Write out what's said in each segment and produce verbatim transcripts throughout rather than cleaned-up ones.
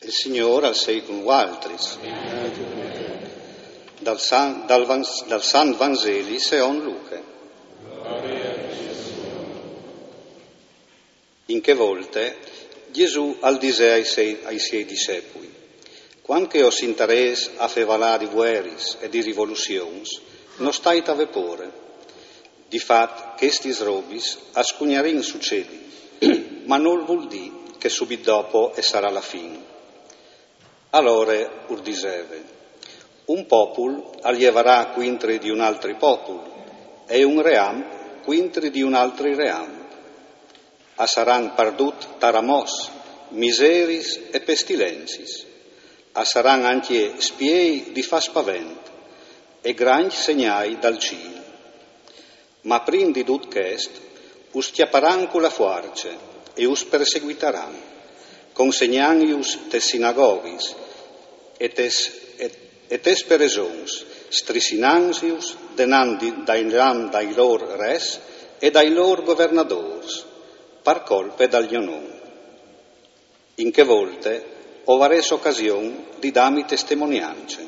Il Signôr al sei cun vualtris. Dal San, dal Van, dal San Vanzeli seond Luche. In chê volte Jesù al disè ai siei, ai siei dissepui: Cuant che o sintarês a fevalâ di vueris e di rivoluzions, no stait a vê pôre. Di fat, chestis robis a scugnarin sucedi, ma nol vûl dî che subit dopo e sarà la fin. Alore ur diseve: Un popul al jevarà cuintri di un altri popul, e un ream cuintri di un altri ream. A saran pardut taramòs, miseris e pestilenzis. A saran ancje spiei di fâ spavent e grancj segnâi dal cîl. Ma prin di dut chest, us cjaparan cu la fuarce e us perseguitaran, consegnantjus tes sinagoghis e tes, e, e tes presons, strissinantjus denant di, dai, dai lôr res e dai lôr governadôrs, par colpe dal gno non. In chê volte o varês ocasion di dâmi testimoniance.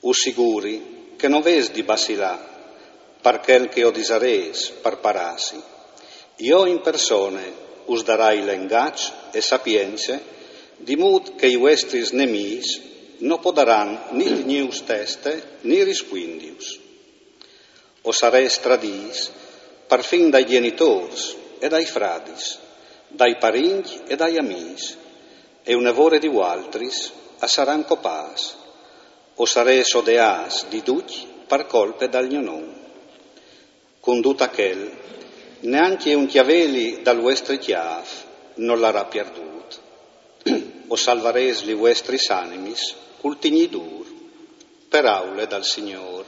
Us siguri che no vês di bacilâ par chel che o disarês par parâsi. Jo in persone us darai lengaç e sapience, di mût che i vuestris nemîs no podaran ni tignîus teste ni rispuindius. O sarês tradîts parfin dai gjenitôrs e dai fradis, dai parincj e dai amîs, e une vore di vualtris a saran copâts. O sarês odeâts di ducj par colpe dal gno non. Cun dut achel, nancje un cjaveli dal vuestri cjâf nol larà pierdût. O salvarês li vuestris animis cul tignî dûr. Peraule dal Signôr.